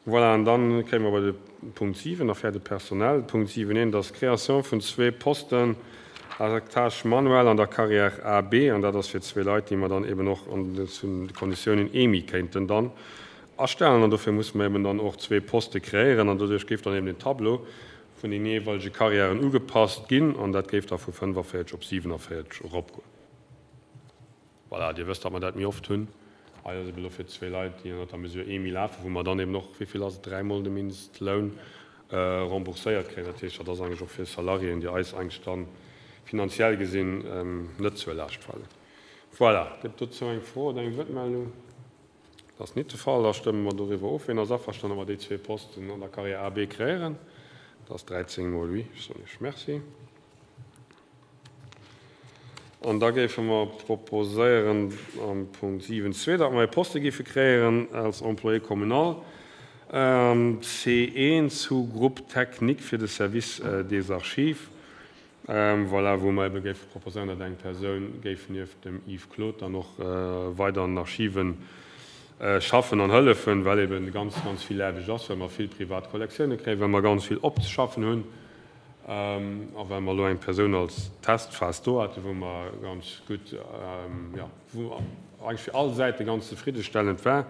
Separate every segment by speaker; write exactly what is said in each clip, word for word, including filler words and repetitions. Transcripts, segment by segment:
Speaker 1: Voilà, an dann kéime mer bei de Punkt siwen, Affaires de personnel. Punkt siwen eent ass d'Création vun zwee Posten à tâche manuelle an der Carrière A B, an dat ass fir zwee Leit, déi mer dann eben och an de Konditiounen E M I kéinten dann astellen. An dofir musse mer eben dann och zwee Poste kreéieren, an doduerch géif dann eben den Tableau vun den jeeweilege Carrièren ugepasst ginn, an dat géif da vu fënnefavierzeg op siewenavierzeg eropgoen. Voilà, Dir wësst, datt mer dat méi oft hunn. Hei ass eben elo fir zwee Leit, déi ënnert der Mesure E M I lafen, wou mer dann eben och, wéi vill ass et, dräimol de Mindestloun rembourséiert kréien. Dat heescht, dat ass eigentlech och fir Salariéen, déi eis eigentlech dann finanziell gesinn net zur Laascht falen. Voilà, gëtt dozou eng Fro oder eng Wuertmeldung? Dat ass net de Fall. Da stëmme mer doriwwer of. Wien ass averstanen, datt mer déi zwee Posten an der Carrière A B kreéieren? Dat ass dräizéng mol oui. Ech soen Iech Merci. An da géife mer proposéieren am Punkt siwen zwee, datt mer e Poste géife kreéieren als Employé communal C eent Sous-groupe technique fir de Service des Archives. Voilà, wou mer ebe géife proposéieren, datt eng Persoun géif nieft dem Yves Claude dann och weider an den Archiven schaffen an hëllefen, well eben ganz, ganz vill Aarbecht ass, well mer vill privat Kollektioune kréien, well mer ganz vill opzeschaffen hunn a well mer elo eng Persoun als Testphas do haten, wou mer ganz gutt, jo, wou eigentlech fir all Säite ganz zefriddestellend war.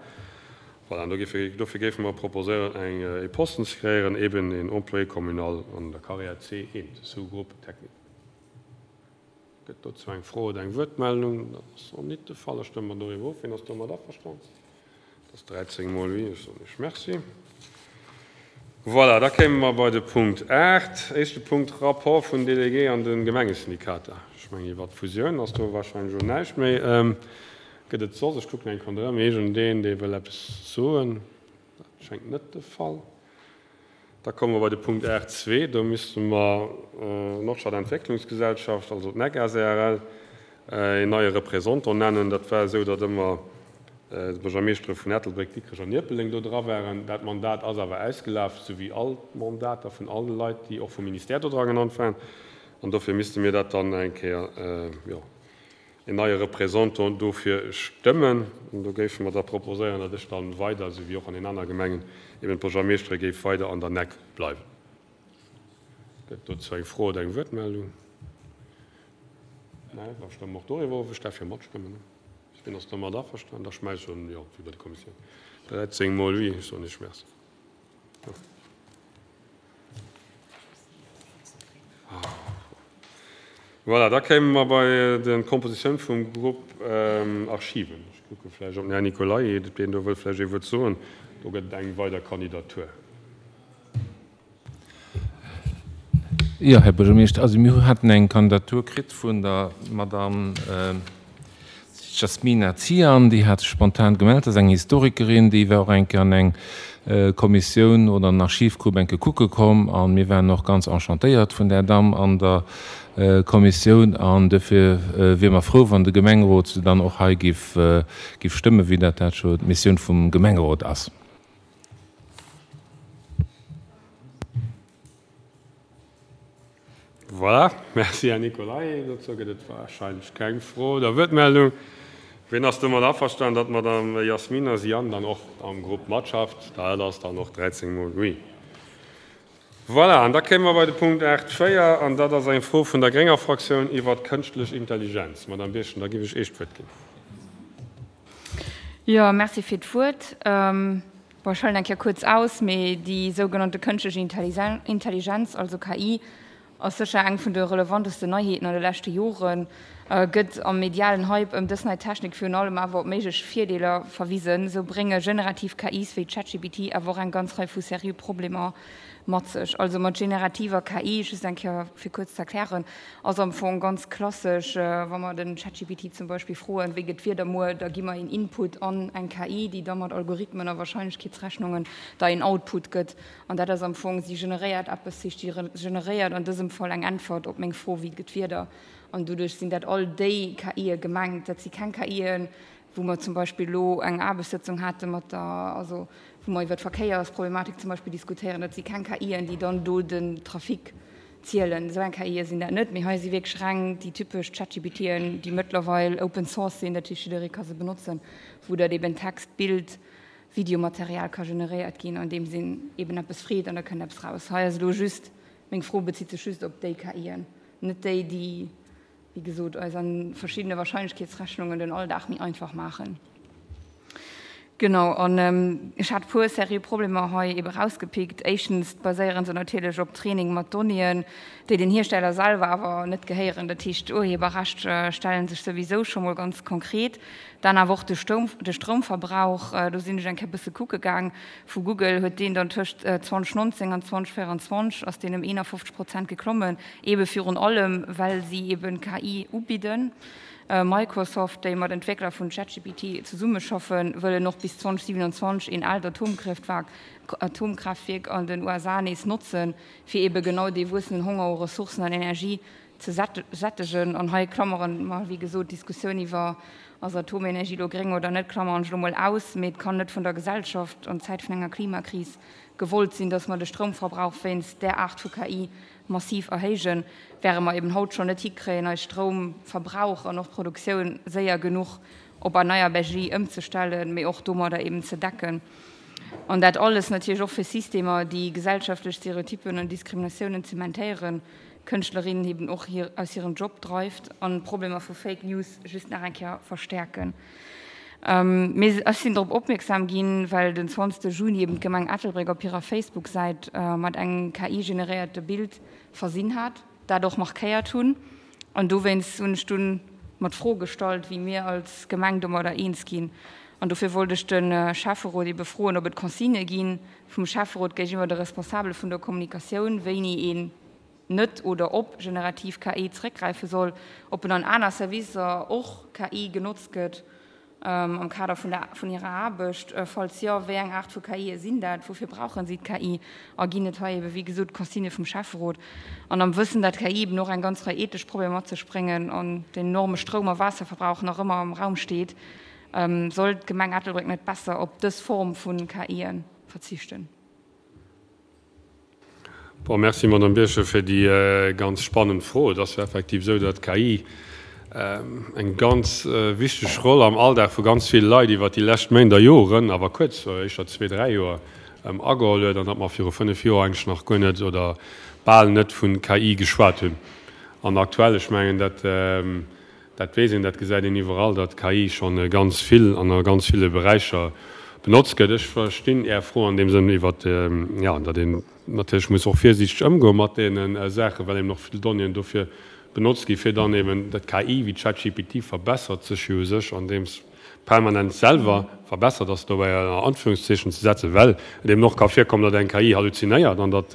Speaker 1: Voilà, an dofir géife mer proposéieren, eng e Posten ze kreéieren, eben een Employé communal an der Carrière C eent, Sous-groupe technique. Gëtt dozou eng Fro oder eng Wuertmeldung? Dat ass och net de Fall. Da stëmme mer doriwwer of. Wien ass domat averstanen? Dat ass dräizéng mol oui. Ech soen Iech Merci. Voilà, da kéime mer bei de Punkt aacht. Éischte Punkt, Rapport vun Délégué an de Gemengesyndikater. Ech mengen, iwwert d'Fusioun ass do wahrscheinlech elo näischt méi. Gëtt et soss, ech kucken eng Kéier ronderëm, iergendeen, dee wëll eppes soen? Dat schéngt net de Fall. Da komme mer bei de Punkt aacht zwee. Do misste mer d'Nordstad-Entwécklungsgesellschaft, also d'N E G S A R L, een neie Représentant nennen. Dat war esou, datt ëmmer d'Buergermeeschtere vun Ettelbréck, Dikrech an Ierpeldeng do dra waren. Dat Mandat ass awer ausgelaf, sou wéi all d'Mandater vun all de Leit, déi och vum Ministère do dra genannt waren. An dofir misste mir dat dann eng Kéier, jo, een neie Représentant dofir stëmmen. An do géife mer da proposéieren, datt ech dann weider, sou wéi och an den anere Gemengen, eben d'Buergermeeschtere géif weider an der N E G bleiwen. Gëtt dozou eng Fro oder eng Wuertmeldung? Nee, da stëmme mer och doriwwer of. Ech däerf jo matstëmmen, ne? Wien ass domat averstanen? Da schmäiss ech jo, wéi bei der Kommissioun. dräizéng mol oui, ech soen Iech Merci. Voilà, da kéime mer bei de Kompositioun vum Grupp Archiven. Ech kucke vläicht op den Här Nicolay, deen do wëll vläicht ee Wuert soen. Do gëtt et eng weider Kandidatur.
Speaker 2: Jo, Här Buergermeeschter, also mir haten eng Kandidatur kritt vun der Madame Jasmina Zian, déi hat sech spontan gemellt. Dat ass eng Historikerin, déi war och eng Kéier an eng Kommissioun oder an Archivgrupp eng Kéier kucke komm a mir waren och ganz enchantéiert vun där Damm an der Kommissioun an dofir wiere mer frou, wann de Gemengerot se dann och hei giff giff stëmmen, wéi dat dat scho d'Missioun vum Gemengerot ass.
Speaker 1: Voilà, merci Här Nicolay. Dozou gëtt et wahrscheinlech keng Fro oder Wuertmeldung. Wien ass domat averstanen, datt d'Madame Yasmina Zian dann och am Grupp matschafft? Dat ass dann och dräizéng mol oui. Voilà, an da kéime mer bei de Punkt aacht véier, an dat ass eng Fro vun der grénger Fraktioun iwwert d'kënschtlech Intelligenz. Madame Birchen, da géif ech Iech d'Wuert ginn.
Speaker 3: Jo, merci fir d'Wuert. Bon, ech huelen eng Kéier kuerz aus, mee déi sougenannte kënschtlech Intelligenz, also K I, ass sécher eng vun de relevantesten Neiheeten an de leschte Joren. Gëtt am medialen Hype ëm dës nei Technik virun allem awer op méiglech Virdeeler verwisen, sou brénge generativ K Is wéi ChatGPT awer och eng ganz Rei vu seriö Problemer mat sech. Also mat generativer K I, just eng Kéier fir kuerz ze erklären, ass am Fong ganz klassesch, wa mer den ChatGPT zum Beispill froen, wéi gëtt d'Wieder muer, da gi mer een Input an eng K I, déi da mat Algorithmen a Warscheinlechkeetsrechnungen da een Output gëtt. An dat ass am Fong, si generéiert eppes, heescht si generéiert an dësem Fall eng Äntwert op meng Fro, wéi gëtt d'Wieder. An doduerch sinn dat all déi K Ie gemengt. Dat si keng K Ien, wou mer zum Beispill elo eng Aarbechtssëtzung hate mat der, also wou mer iwwer d'Verkéiersproblematik zum Beispill diskutéieren, dat si keng K Ien, déi dann do den Trafic zielen. Esou eng K Ie sinn dat net. Mee hei si wierklech reng déi typesch ChatGPTen, déi mëttlerweil Open Source sinn, dat heescht jidderee ka se benotzen, wou dat eben Text, Bild, Videomaterial ka generéiert ginn, andeems een eben eppes freet an da kënnt eppes raus. Hei ass elo just, meng Fro bezitt sech just op déi KIen, net déi, déi, wéi gesot, eis a verschiddene Wahrscheinlechkeetsrechnungen den Alldag méi einfach maachen. Genau, an ech hat e puer seriö Problemer hei ebe rausgepickt. Éischtens baséiere se natierlech op Training mat Donnéeën, déi den Hiersteller selwer awer net gehéieren. Dat heescht, d'Urheberrecht stelle sech souwisou scho mol ganz konkret. Dann awer och de Stoum, de Stroumverbrauch, do sinn ech eng Kéier e bësse kucke gaang. Vu Google huet deen dann tëscht zweitausendnonzéng an zweitausendvéierundzwanzeg ass deen ëm eenafofzeg Prozent geklommen, ebe virun allem, well si eben K I ubidden. Microsoft, déi mat Entwéckler vun ChatGPT zesummeschaffen, wëllen och bis zweitausendsiewenundzwanzeg een aalt Atomkraaftwierk an den U S A nees notzen, fir ebe genau dee wuessenden Honger u Ressourcen an Energie ze sättegen. An hei klammeren mer, wéi gesot, d'Diskussioun iwwer ass Atomenergie lo gréng oder net, klammeren ech lo mol aus, mee et kann net vun der Gesellschaft an Zäit vun enger Klimakris gewollt sinn, dass mer de Stroumverbrauch wéinst där Aart vu K I massiv erhéijen, wäre mer eben haut schonn net hikréien, eis Stroumverbrauch an och Produktioun séier genuch op erneierbar Energie ëmzestellen, mee och domadder eben ze decken. An dat alles natierlech och fir Systemer, déi gesellschaftlech Stereotypen an Diskriminatiounen zementéieren, Kënschtlerinnen eben och hir aus hirem Job dreift an Problemer vu Fake News just nach eng Kéier verstäerken. Mee ech sinn drop opmierksam ginn, well den zwanzegste Juni eben d'Gemeng Ettelbréck op hirer Facebook-Säit mat engem K I-generéierte Bild versinn hat, dat och markéiert hunn. An dowéinst hunn ech dunn mer d'Fro gestallt, wéi mir als Gemeng domadder eens ginn. An dofir wollt ech de Schäfferot ebe froen, ob et Consignë gi vum Schäfferot géigeniwwer de Responsabele vun der Kommunikatioun, wéini een net oder op generativ K I zeréckgräife soll, ob en an aner Servicer och K I genotzt gëtt am Kader vun der vun hirer Aarbecht. Falls jo, wéi eng Aart vu K Ie sinn dat? Woufir brauchen si d'K I? A ginn et hei ebe wéi gesot Consignë vum Schäfferot? An am Wëssen, dat K I eben och eng ganz Rei ethesch Problemer mat sech bréngen an den enorme Stroum a Waasserverbrauch nach ëmmer am Raum steet, sollt d'Gemeng Ettelbréck net besser op dës Form vu K Ie verzichten?
Speaker 1: Bon, merci, Madame Birchen, fir déi ganz spannend Fro. Et ass jo effektiv esou, datt d'K I eng ganz wichteg Roll am Alldag vu ganz ville Leit iwwert déi lescht Méint a Joren, awer kuerz, éischter zwee, dräi Joer, ageholl huet an datt mer viru fënnef Joer eigentlech nach guer net oder bal net vu K I geschwat hunn. An aktuell, ech mengen, dat, dat weess een, dat gesäit een iwwerall, datt K I schonn ganz vill an a ganz ville Beräicher benotzt gëtt. Ech verstinn Är Fro an deem Sënn iwwert, jo, datt een natierlech muss och virsiichteg ëmgoe mat deene Saachen, well eben och vill Donnéeën dofir benotzt gi fir dann eben dat K I wéi ChatGPT verbessert sech jo u sech andeems permanent selwer verbessert ass, dobäi ënner Anführungszeechen ze setzen, well et eben och ka virkommen, datt eng K I halluzinéiert an datt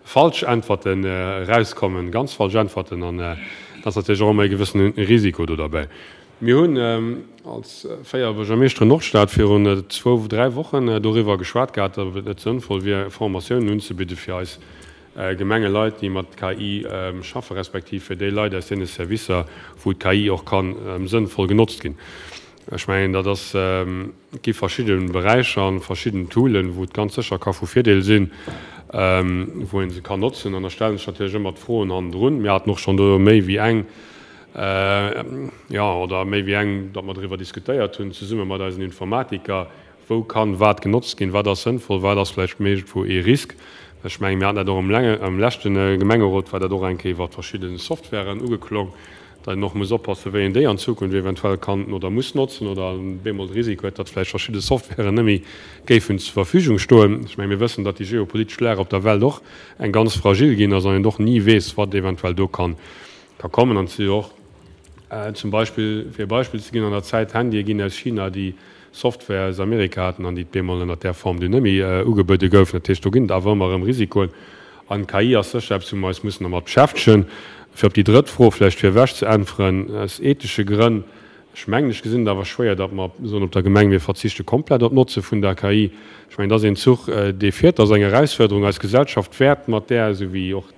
Speaker 1: falsch Äntwerten erauskommen, ganz falsch Äntwerten, an dat ass natierlech och ëmmer e gewëssene Risiko do derbäi. Mir hunn als véier Buergermeeschteren Nordstad virun zwou, dräi Wochen doriwwer geschwat gehat, ob et net sënnvoll wier, Formatiounen unzebidde fir eis Gemengeleit, déi mat K I schaffen, respektiv fir déi Leit aus deene Servicer, wou d'K I och ka sënnvoll genotzt ginn. Ech mengen, dat ass, et gi verschidde Beräicher an verschidden Toolen, wou et ganz sécher ka vu Virdeel sinn, wou ee se kann notzen. An da stelle sech natierlech ëmmer d'Froen hannendrun. Mir haten och schonn do méi wéi eng, jo, oder méi wéi eng, datt mer driwwer diskutéiert hunn, zesumme mat eisen Informatiker, wou kann wat genotzt ginn, wat ass sënnvoll, wat ass vläicht méigentwou ee Risk. Ech mengen, mir haten dat och am leschte Gemengerot, war dat och eng Kéier iwwert verschidde Softwaren ugeklong, datt een och muss oppassen, wéi een déi an Zukunft eventuell kann oder muss notzen oder bemol de Risiko huet, datt vläicht verschidde Softwaren net méi géifen zur Verfügung stoen. Ech mengen, mir wëssen, datt déi geopolitesch Lag op der Welt och eng ganz fragil ginn ass an een och ni weess, wat eventuell do kann kommen. An et si jo och zum Beispill, fir e Beispill ze ginn, an der Zäit Handye ginn aus China, déi Software aus Amerika haten an déi bemol ënnert där Form dunn net méi ugebuede goufen. Dat heescht, do ginn et awer ëmmer erëm Risikoen. An d'K I ass sécher eppes, wou mer eis mussen dermat beschäftegen. Fir op déi drëtt Fro vläicht virewech ze äntweren, aus ethesche Grënn, ech mengen, ech gesinn et awer schwéier, datt mer soen op der Gemeng, mir verzichte komplett op d'Notze vun der K I. Ech mengen, dat ass een Zuch, dee fiert, dat ass eng Erausfuerderung. Eis Gesellschaft wäert mat där, esou wéi och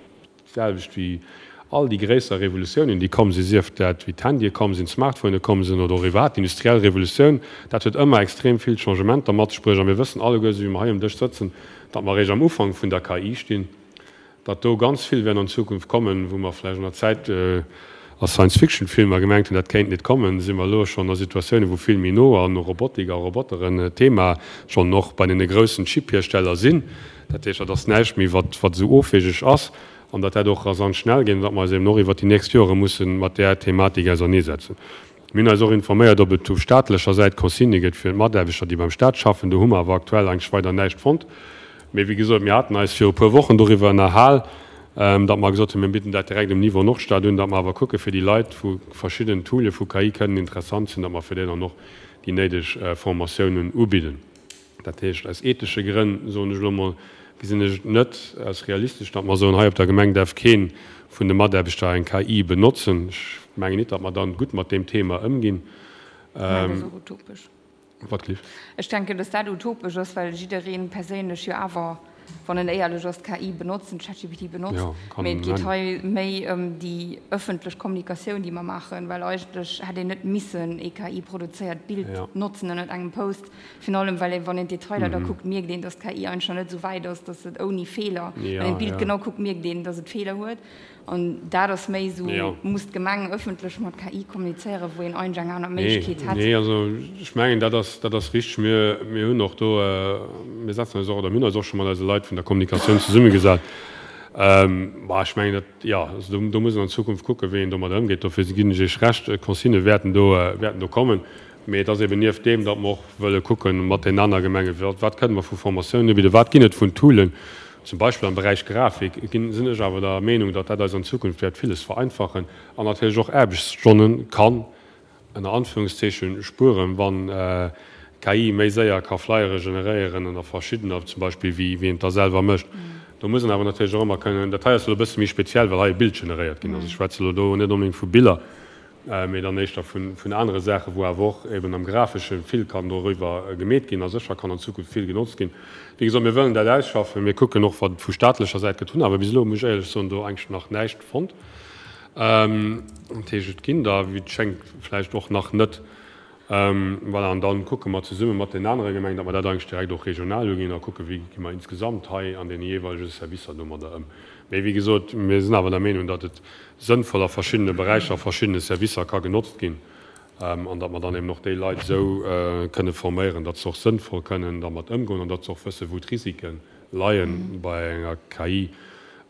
Speaker 1: d'selwecht wéi all déi gréisser Revolutiounen, déi komm sinn, sief dat wéi d'Handye komm sinn, d'Smartphone komm sinn oder och iwwerhaapt d'industriell Revolutioun, dat huet ëmmer extrem vill Changementer mat sech bruecht. A mir wëssen alleguer, esou wéi mer hei um Dësch sëtzen, datt mer eréischt am Ufank vun der K I stinn, datt do ganz vill wäert an Zukunft kommen, wou mer vläicht an der Zäit a Science-Fiction-Filmer gemengt hunn, dat kéint net kommen, si mer elo schonn a Situatiounen, wou vill méi no an Robotik a Roboteren Thema schonn och bei deene groussen Chip-Hiersteller sinn. Dat heescht, dat ass näischt méi, wat wat esou ofwegeg ass an datt dat och rasant schnell geet an datt mer eis eben och iwwert déi nächst Jore musse mat där Thematik auserneesetzen. Mir hunn eis och informéiert, ob et u staatlecher Säit Consignë gëtt fir d'Mataarbechter, déi beim Staat schaffen. Do hu mer awer aktuell eigentlech weider näischt fonnt. Mee wéi gesot, mir haten eis viru e puer Wochen doriwwer ënnerhal, datt mer gesot hunn, mir bidden dat direkt um Niveau Nordstad un, datt mer awer kucke fir déi Leit, wou verschidden Toole vu K I kënnen interessant sinn, datt mer fir déi dann och déi néideg Formatiounen ubidden. Dat heescht, aus ethesche Grënn, soen ech elo emol, gesinn ech et net als realistesch, datt mer soen, hei op der Gemeng däerf kee vun de Mataarbechter eng K I benotzen. Ech mengen nit, datt mer dann gutt mat deem Thema ëmginn.
Speaker 3: Dat ass och utopesch.
Speaker 1: Wat gleeft?
Speaker 3: Ech denken, datt dat utopesch ass, well jidderee perséinlech jo awer, wann en éierlech ass, d'K I benotzt, den ChatGPT benotzt.
Speaker 1: Jo, kann
Speaker 3: Mee et geet
Speaker 1: en.
Speaker 3: hei méi ëm déi ëffentlech Kommunikatioun, déi mer maachen, well eigentlech hätt een net missen ee K I-produzéiert Bild
Speaker 1: Ja.
Speaker 3: notzen ënnert engem Post. Virun allem, well een, wann een d'Detailer da kuckt, mierkt een, datt d'K I eigentlech nach net esou wäit ass, datt et ouni Feeler, wann
Speaker 1: Ja,
Speaker 3: een d'Bild
Speaker 1: ja.
Speaker 3: genau kuckt, mierkt een, datt et Feeler huet. An dat ass méi esou,
Speaker 1: Ja.
Speaker 3: muss d'Gemeng ëffentlech mat K I kommunizéieren, wou een eigentlech eng aner
Speaker 1: Nee,
Speaker 3: Méiglechkeet hätt.
Speaker 1: nee, also ech mengen, dat ass, dat ass richteg. Mir, mir hunn och do, mir setzen eis och, oder mir hunn eis och scho mat eise Leit vun der Kommunikatioun zesummegesat. Bah, ech mengen, dat, jo, also do, do muss een an Zukunft kucken, wéi een domat ëmgeet. Dofir ginn ech Iech Recht, Consignë wäerten do, wäerten do kommen. Mee et ass eben nieft deem, datt mer och wëlle kucken mat den aner Gemengen, wat, wat kënne mer vu Formatiounen ubidden, wat ginn et vun Toolen, zum Beispill am Beräich Grafik, ginn, sinn ech awer der Meenung, datt dat eis an Zukunft wäert villes vereinfachen an natierlech och Aarbechtsstonne kann, ënner Anführungszeechen, spueren, wann K I méi séier ka Flyere generéieren ënner verschiddener, zum Beispill, wéi, wéi een et da selwer mécht. Do muss een awer natierlech och ëmmer kënnen, dat hei ass elo e bësse méi speziell, well hei e Bild generéiert ginn ass. Ech schwätze elo do net onbedéngt vu Biller, mee dann éischter vun, vun anere Saachen, wou awer och eben am Grafesche vill kann doriwwer gemeet ginn a sécher kann an Zukunft vill genotzt ginn. Wéi gesot, mir wëllen dat ausschaffen. Mir kucken och, wat et vu staatlecher Säit gëtt, hunn awer bis elo, muss ech éierlech soen, do eigentlech nach näischt fonnt. Dat heescht, et ginn der, wéi et schéngt, vläicht och nach net. Voilà, an dann kucke mer zesumme mat den anere Gemengen, datt mer dat eigentlech direkt och regional uginn a kucke wéi gi mer insgesamt hei an deene jeeweilege Servicer domadder ëm. Mee wéi gesot, mir sinn awer der Meenung, datt et sënnvoll a verschiddene Beräicher, a verschiddene Servicer ka genotzt ginn an datt mer dann eben och déi Leit esou kënne forméieren, datt se och sënnvoll kënnen dermat ëmgoen an datt se och wëssen, wou d'Risike leie bei enger K I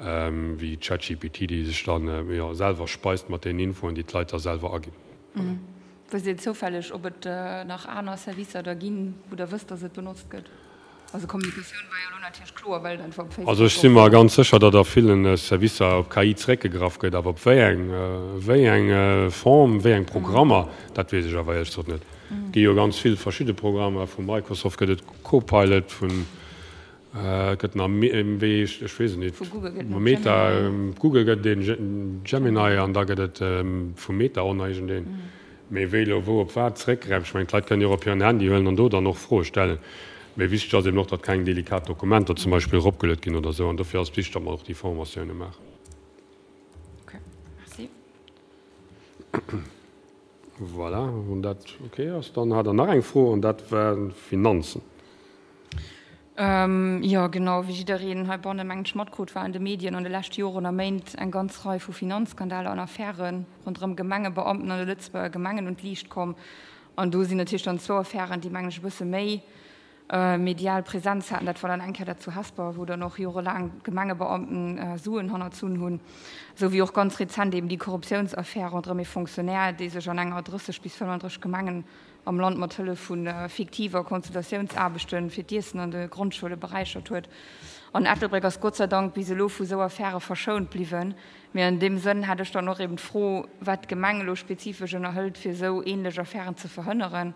Speaker 1: wéi ChatGPT, déi sech dann, jo, selwer speist mat deenen Infoen, déi d'Leit da selwer aginn.
Speaker 3: Wësst Dir zoufälleg, ob et nach aner Servicer da ginn, wou Der wësst, dass et benotzt gëtt? Also Kommunikatioun war jo elo natierlech kloer, well et einfach op Facebook
Speaker 1: Also ech si
Speaker 3: och
Speaker 1: mer ganz sécher, datt a ville Servicer op K I zeréckgegraff gëtt, awer op wéi eng, wéi eng Form, wéi eng Programmer, dat weess ech awer éierlech gesot net. Et gi jo ganz vill verschidde Programmer, vu Microsoft gëtt et Copilot, vun Et gëtt nach wéi heescht, ech weess et net,
Speaker 3: Vu Google gëtt et
Speaker 1: Meta,
Speaker 3: Gemini.
Speaker 1: Google gëtt et een Gemini an da gëtt et vu Meta och nach iergendeen. Mee wéi elo wou op wat zeréckgräift, ech mengen d'Leit kënnen jo och op hiren Handy huelen an do dann och Froe stellen. Mee wichteg ass eben och, datt keng delikat Dokumenter zum Beispill eropgeluet ginn oder esou an dofir ass et wichteg, datt mer och déi Formatioune maachen.
Speaker 3: Ok, merci.
Speaker 1: Voilà, wann dat ok ass, dann hat Der nach eng Fro an dat war Finanzen.
Speaker 3: Jo, genau, wéi jiddereen heibanne mengen ech matkrut, war an de Medien an de leschte Joren a Méint eng ganz Rei vu Finanzskandaler an Affäre ronderëm Gemengebeamten an de Lëtzebuerger Gemengen un d'Liicht komm. An do sinn natierlech dann zwou Affären, déi mengen ech e bësse méi medial Präsenz haten. Dat war dann eng Kéier dat zu Hesper, wou dann och jorelaang Gemengebeamten Suen hannerzunn hunn, esou wéi och ganz rezent eben déi Korruptiounsaffär ronderëm ee Fonctionnaire, dee sech an enger drësseg bis fënnenddrësseg Gemengen am Land mat Hëllef vu fiktiver Consultatiounsaarbechte fir d'Iessen an de Grondschoule beräichert huet. An Ettelbréck ass Gott sei Dank bis elo vu sou Affäre verschount bliwwen. Mee an deem Sënn hätt ech dann och eben d'Fro, wat d'Gemeng elo spezifesch ënnerhëlt, fir esou ähnlech Affären ze verhënneren.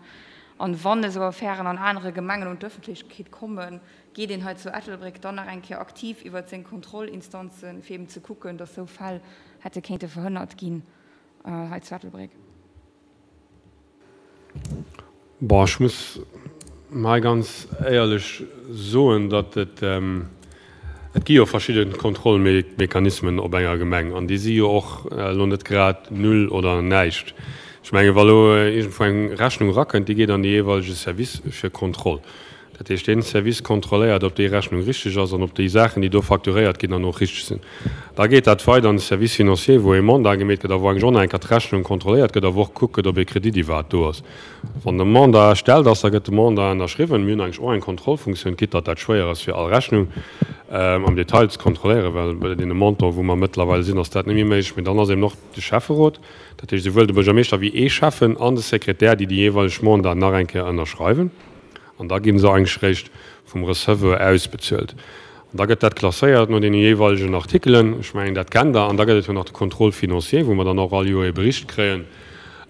Speaker 3: An wann esou Affären an anere Gemengen un d'Ëffentlechkeet kommen, geet een hei zu Ettelbréck dann nach eng Kéier aktiv iwwert seng Kontrollinstanzen, fir eben ze kucken, dass esou Fäll hätte kéinte verhënnert ginn hei zu Ettelbréck?
Speaker 1: Bon, ech muss hei ganz éierlech soen, datt et, et gi jo verschidde Kontrollmechanismen op enger Gemeng an déi si jo och elo net grad null oder näischt. Ech mengen, wa elo iergendwou eng Rechnung erakënnt, déi geet an de jeeweilege Service fir Kontroll. Dat heescht, dee Service kontrolléiert, ob déi Rechnung richteg ass an ob déi Saachen, déi do facturéiert ginn, dann och richteg sinn. Da geet dat weider an de Service financier, wou ee Mandat gemeet gëtt a wou eigentlech och nach eng Kéier d'Rechnung kontrolléiert gëtt a wou och gekuckt gëtt, ob ee Kredit iwwerhaapt do ass. Wann de Mandat erstellt ass, da gëtt de Mandat ënnerschriwwen. Mir hunn eigentlech och eng Kontrollfunktioun, quitte datt dat schwéier ass, fir all Rechnung am Detail ze kontrolléieren, well bei deene Montanten, wou mer mëttlerweil sinn, ass dat net méi méiglech. Mee dann ass eben och de Schäfferot, dat heescht esouwuel de Buergermeeschter wéi ee Schäffen an de Sekretär, déi déi jeeweileg Mandaten nach eng Kéier ënnerschreiwen. An da gi se eigentlech réischt vum Receveur ausbezuelt. An da gëtt dat klasséiert no deene jeeweilegen Artikelen. Ech mengen, dat kennt Der. An da gëtt et jo nach de Contrôle financier, wou mer dann och all Joer ee Bericht kréien,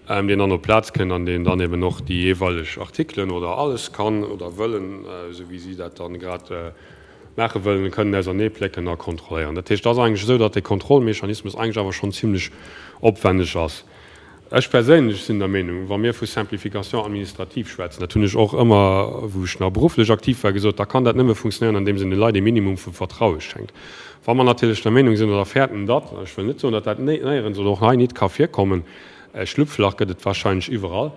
Speaker 1: deen dann op d'Plaz kënnt an deen dann eben och déi jeeweileg Artikelen oder alles kann oder wëllen, esou wéi si dat dann grad maache wëllen, kënnen auserneeplécken a kontrolléieren. Dat heescht, et ass eigentlech esou, datt dee Kontrollmechanismus eigentlech awer schonn zimlech opwenneg ass. Ech perséinlech sinn der Meenung, wa mir vu Simplification administrative schwätzen, dat hunn ech och ëmmer, wou ech nach berufflech aktiv war, gesot, da kann dat nëmme funktionéieren, andeems een de Leit ee Minimum vu Vertraue schenkt. Wa mer natierlech der Meenung sinn oder fäerten, datt, ech wëll net soen, datt dat néierens oder och hei nit ka virkommen, Schlupflach gëtt et wahrscheinlech iwwerall,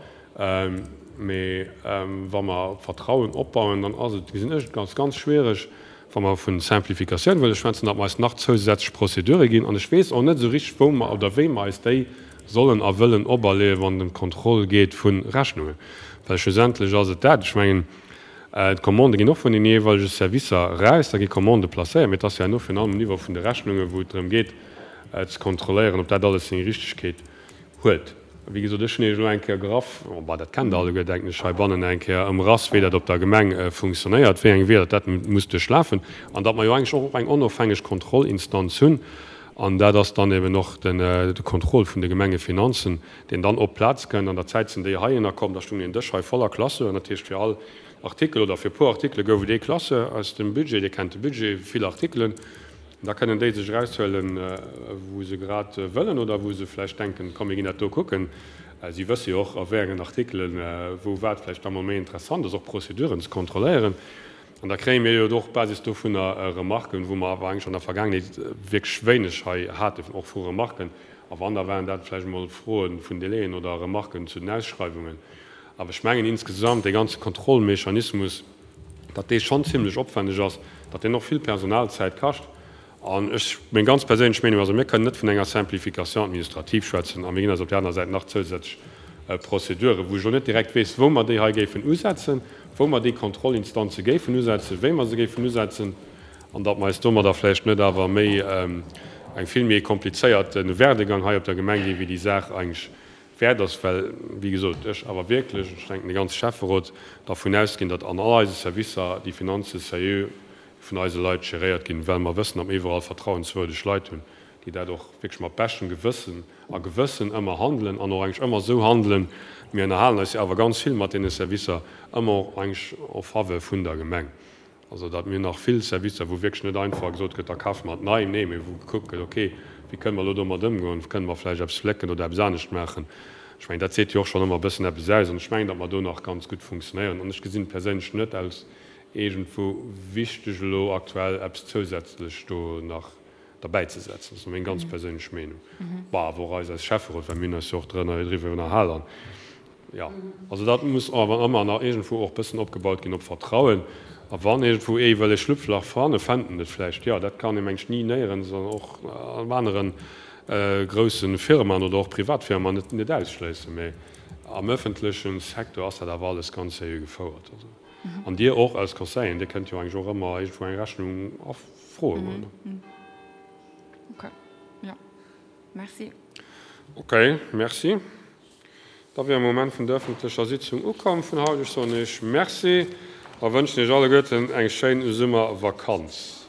Speaker 1: mee wa mer Vertrauen opbauen, dann ass et, gesinn ech et als ganz schwierig, wa mer vu Simplificatioun wëlle schwätzen, datt mer eis nach zousätzlech Prozedure ginn. An ech weess och net esou richteg, wou mer oder wéi mer eis déi sollen a wëllen operleeën, wann et ëm d'Kontroll geet vu Rechnungen. Well schlussendlech ass et dat, ech mengen, d'Commandë ginn och vun den jeeweilege Servicer eraus, da gi Commandë placéiert, mee et ass jo herno virun allem um Niveau vun de Rechnungen, wou et drëm geet ze kontrolléieren, ob dat alles seng Richtegkeet huet. Wéi gesot, ech hunn Iech elo eng Kéier graff, bon, dat kennt Der alleguer, denken ech, heibannen eng Kéier ëmrass, wéi dat op der Gemeng funktionéiert, wéi eng Weeër dat muss duerchlafen an datt mer jo eigentlech och eng onofhängeg Kontrollinstanz hunn. An dat ass dann eben och de Contrôle vun de Gemengefinanzen, deen dann op d'Plaz kënnt. An der Zäit sinn déi heihinner komm, da stung een Dësch hei voller Classeuren, dat heescht fir all Artikel oder fir e puer Artikele gouf et ee Classeur aus dem Budget, Dir kennt de Budget, vill Artikelen. Da kënnen déi sech eraushuelen, wou se grad wëllen oder wou se vläicht denken, komm mir ginn dat do kucken. Si wësse jo och, a wéi engen Artikelen wou wat vläicht da mol méi interessant ass, och Prozeduren ze kontrolléieren. An da kréie mir jo och op Basis dovunner Remarken, wou mer awer eigentlech an der Vergaangenheet wierklech wéineg hei haten, och vu Remarken. A wann, da waren dat vläicht emol Froe vun Délaiën oder Remarken zu den Ausschreiwungen. Awer ech mengen insgesamt, dee ganze Kontrollmechanismus, datt dee schonn zimlech opwändeg ass, datt deen och vill Personalzäit kascht. An ech, meng ganz perséinlech Meenung ass, mir kënnen net vun enger Simplification administrative schwätzen a mir ginn eis op där aner Säit nach zousätzlech Prozeduren, wou ech elo net direkt weess, wou mer déi hei géifen usetzen, wou mer déi Kontrollinstanze géifen usetzen, wéi mer se géifen usetzen, an datt mer eis domadder vläicht net awer méi eng vill méi komplizéierte Werdegang hei op der Gemeng ginn, wéi déi Saach eigentlech wäert ass, well, wéi gesot, ech awer wierklech, ech denken de ganze Schäfferot, dervun ausginn, datt an all eise Servicer déi Finanze sérieux vun eise Leit geréiert ginn, well mer wëssen, datt mer iwwerall vertrauenswürdeg Leit hunn, déi dat och wierklech mat beschtem Gewëssen a Gewëssen ëmmer handelen an och eigentlech ëmmer esou handelen, mir ënnerhalen eis jo awer ganz vill mat deene Servicer, ëmmer och eigentlech en faveur vun der Gemeng. Also datt mir nach vill Servicer, wou wierklech net einfach gesot gëtt, da kafe mer et nei, nee, mee wou gekuckt gëtt, okay, wéi kënne mer elo domat ëmgoen, kënne mer vläicht eppes flécken oder eppes anescht maachen. Ech mengen, dat seet jo och schonn ëmmer e bëssen eppes aus an ech mengen, datt mer do nach ganz gutt funktionéieren an ech gesinn et perséinlech net als iergendwou wichteg elo aktuell eppes zousätzlech do nach derbäizesetzen. Dat ass meng ganz perséinlech Meenung. Bon, awer och eis als Schäfferot, well mir hunn eis jo och driwwer ënnerhal an Jo, also dat muss awer ëmmer nach iergendwou och bëssen opgebaut ginn op Vertrauen. A wann iergendwou ee wëll e Schlupflach fannen, fänt en et vläicht. Jo, dat kann ee mengt ech ni néierens an och an anere grousse Firmaen oder och Privatfirmaen net net ausschléissen. Mä am öffentleche Secteur ass dat awer alles ganz seriö gefouert. Also, an Dir och als Conseilleren, Dir kënnt jo eigentlech och ëmmer iergendwou eng Rechnung erfroe goen.
Speaker 3: Okay, jo, merci.
Speaker 1: Okay, merci. Da wier am Moment vun der öffentlecher Sitzung ukomm vun haut. Ech soen Iech Merci a wënschen Iech alleguerten eng schéin Summervakanz.